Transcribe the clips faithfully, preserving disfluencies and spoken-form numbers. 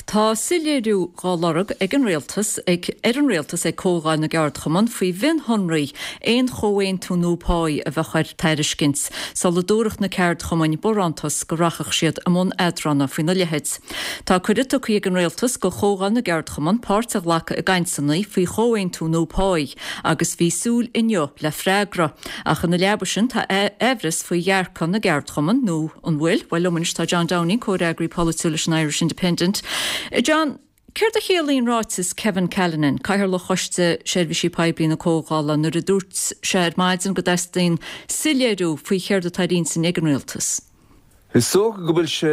Tá soiléiriú á lorg ag an rialtas ag ar an rialtas ag Comhdháil na gCeardchumann faoi mhionsonraí aon chomhaontú nua páí a bheadh ar tairiscint. Sula dtabharfadh na ceardchumainn barántas go rachadh siad i mbun eadrána faoina leithéid. Tá cuireadh tugtha ag an rialtas go Chomhdháil na gCeardchumann páirt a ghlacadh i gcainteanna faoi chomhaontú nua páí agus bhí súil inniu le freagra. Ach ina leaba sin tá aimhreas faoi dhearcadh na gceardchumann nó an bhfuil, well liom anois tá John Downing comhfhreagraí polaitiúil leis an Irish Independent. Eh, John, Céard a chiallaíonn ráiteas Kevin Callanan, Cathaoirleach Choiste Seirbhísí Poiblí na Comhdhála nuair a dúirt sé ar maidin go dteastaíonn soiléiriú faoi chéard atá ar intinn ag an rialtas. Is dócha go bhfuil sé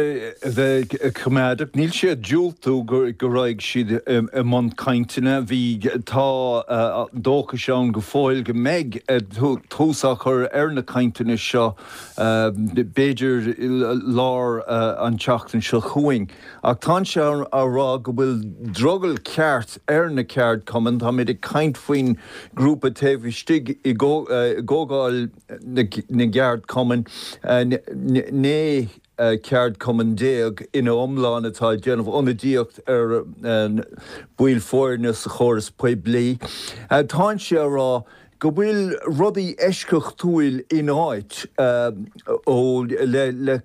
bheith coimeádach, níl sé diúltú go go raibh siad i mbun cainteanna, bhí tá dóchas ann go fóill go mbeidh tús á chur ar na cainteanna seo b'fhéidir lár an tseachtain seo chugainn. Ach tá sé á rá go bhfuil drogall ceart ar na ceardchumainn, Táimid ag caint faoin grúpa taobh istigh i gComhdháil na gCeardchumann naoi ceardchumann déag ina iomlán atá ag déanamh ionadaíocht ar bhaill foirne sa chóras poiblí. Tá sé á rá go bhfuil rudaí eisceachtúil in áit ó le le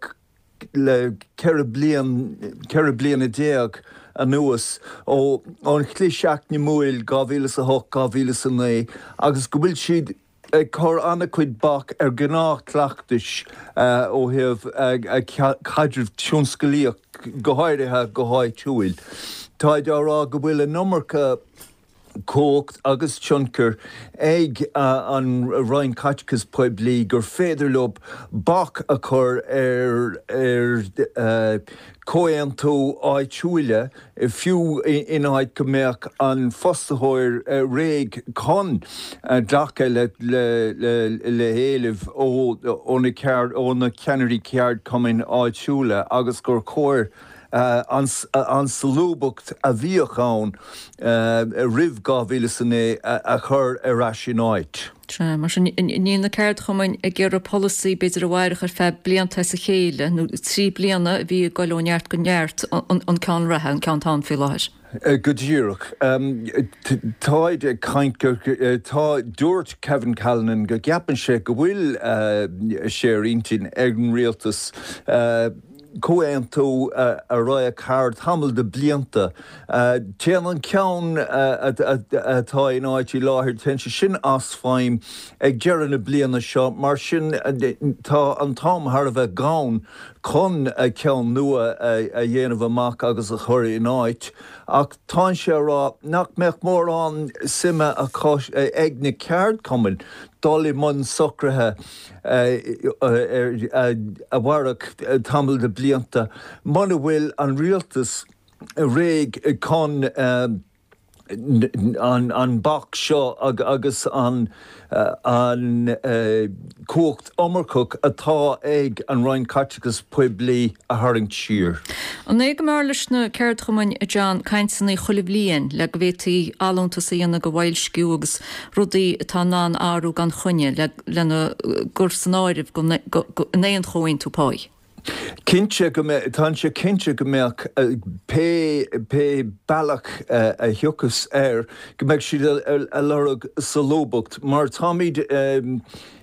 le ceithre bliain ceithre bliana déag anuas ó an chlis eacnamúil dhá mhíle a hocht dhá mhíle a naoi agus go bhfuil siad ag cur an-chuid bac ar ghnáthchleachtais ó thaobh caidreamh tionsclaíoch go háirithe go háitiúil. Tá á rá go bhfuil an iomarca cumhacht agus tionchar ag an Roinn Caiteachais Poiblí gur féidir leo bac a chur ar ar comhaontú áitiúla fiú in áit go mbeadh an fostaitheoir réidh chun glacadh le le le héilimh ó ó na ó na ceannairí ceardchumainn áitiúla agus gur chóir an an solúbthacht a bhíodh ann roimh dhá mhíle a naoi a chur ar ais in áit. Sea, mar sin níl na ceardchumainn ag iarraidh polasaí b'fhéidir a mhairfeadh ar feadh blianta as a chéile nó trí bliana a bhí ag dul ó neart go neart an ceann reatha, an ceann atá ann faoi láthair. Go díreach. Táid ag caint tá dúirt Kevin Callanan go gceapann sé go bhfuil sé ar intinn ag an rialtas comhaontú a rachadh thar tamall de blianta. Téann an ceann atá in áit i láthair téann sé sin as feidhm ag deireadh na bliana seo, mar sin tá an t-am thar a bheith gann chun ceann nua a dhéanamh amach agus a chur in áit, ach tá sé á rá nach mbeadh mórán suime ag na ceardchumainn dul i mbun socruithe a mhairfeadh tamall de blianta muna bhfuil an rialtas réidh chun an an bac seo agus an an cumhacht iomarcach atá ag an Roinn Caiteachais Poiblí a tharraingt siar. An é go mb'fhearr leis na ceardchumainn a John cainteanna chuile bhliain le go bhféadfaí allúntas a dhéanamh go bhoilsciú agus rudaí atá in ann athrú gan choinne le lena gcur san áireamh go in aon chomhaontú páí. Cinnte go mbeadh tá sé cinnte go mbeadh pé pé bealach a thiocfas air go mbeadh siad ag lorg solúbthacht mar táimid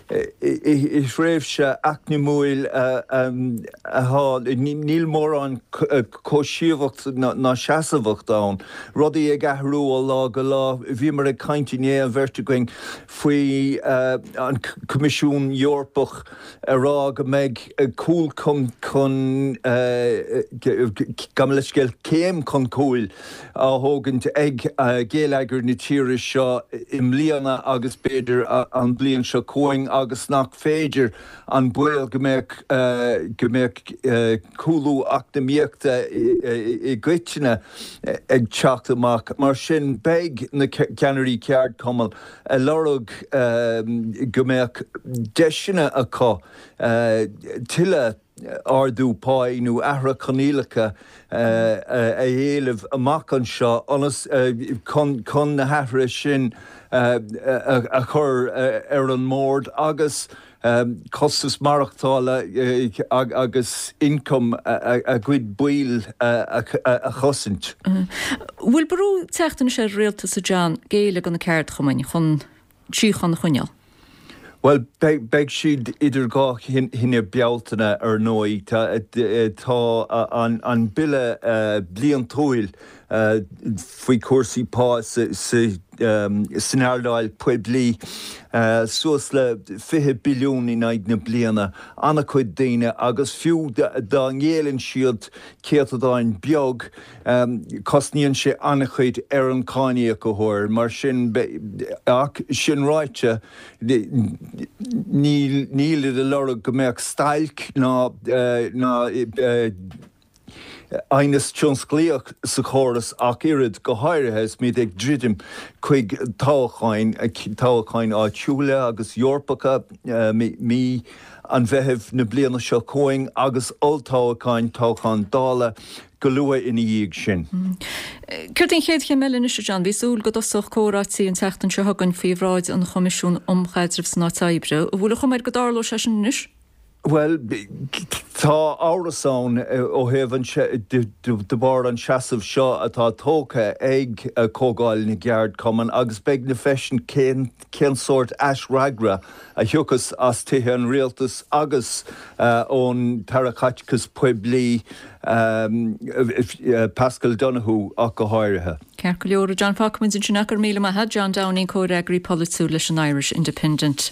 i dtréimhse eacnamúil atá níl mórán cobhsaíocht ná seasmhacht ann. Rudaí ag athrú ó lá go lá, bhíomar ag caint inné an bheirt againn faoi an Coimisiún Eorpach a rá go mbeidh cúl chun chun gabh mo leithscéal céim chun cúil á thógaint ag géilleagar na tíre seo i mbliana agus b'fhéidir an bliain seo chugainn agus nach féidir an baol go mbeadh go mbeadh cúlú eacnamaíochta i gcoitinne ag teacht amach. Mar sin beidh na ceannairí ceardchumainn ag lorg go mbeadh deiseanna acu tuilleadh ardú páí nó athruithe coinníollacha a éileamh amach anseo ionas chun chun na hathruithe sin a chur ar an mbord agus costas maireachtála agus ioncam a gcuid baill a chosaint. Bhfuil brú ag teacht anois ar an rialtas a John géilleadh do na ceardchumainn chun síocháin a choinneáil? Bhuel, beidh siad idir dhá thine Bealtaine ar ndóigh. Tá an bille bliantúil faoi chúrsaí pá san earnáil poiblí suas le fiche billiún in aghaidh na bliana, an-chuid daoine agus fiú dá ngéilleann siad céatadán beag, cosnaíonn sé an-chuid ar an cáiníocóir. Mar sin, ach sin ráite, nílid ag lorg go mbeadh stailc ná aighneas tionsclaíoch sa chóras ach oiread, go háirithe is muid ag druidim chuig toghcháin, toghcháin áitiúla agus Eorpacha mí an Mheithimh na bliana seo chugainn agus olltoghcháin, toghcháin Dála, go luath ina dhiaidh sin. Céard é an chéad chéim eile anois, a John? Bhí súil go dtosódh comhráití an tseachtain seo chugainn faoi bhráid an Choimisiúin um Chaidreamh san Áit Oibre. An bhfuil an chuma air go dtarlóidh sé sin anois? Bhuel, tá amhras ann ó thaobh an, de bharr an seasamh seo atá tógtha ag Comhdháil na gCeardchumann agus beidh le feiscint cén cén sórt aisfhreagra a thiocfas as Tithe an Rialtais agus ón tAire Caiteachais Poiblí, Paschal Donohoe ach go háirithe. Ceart go leor, a John, fágfaimid ansin é. Go raibh míle maith agat, John Downing, Comhfhreagraí Polaitiúil leis an Irish Independent.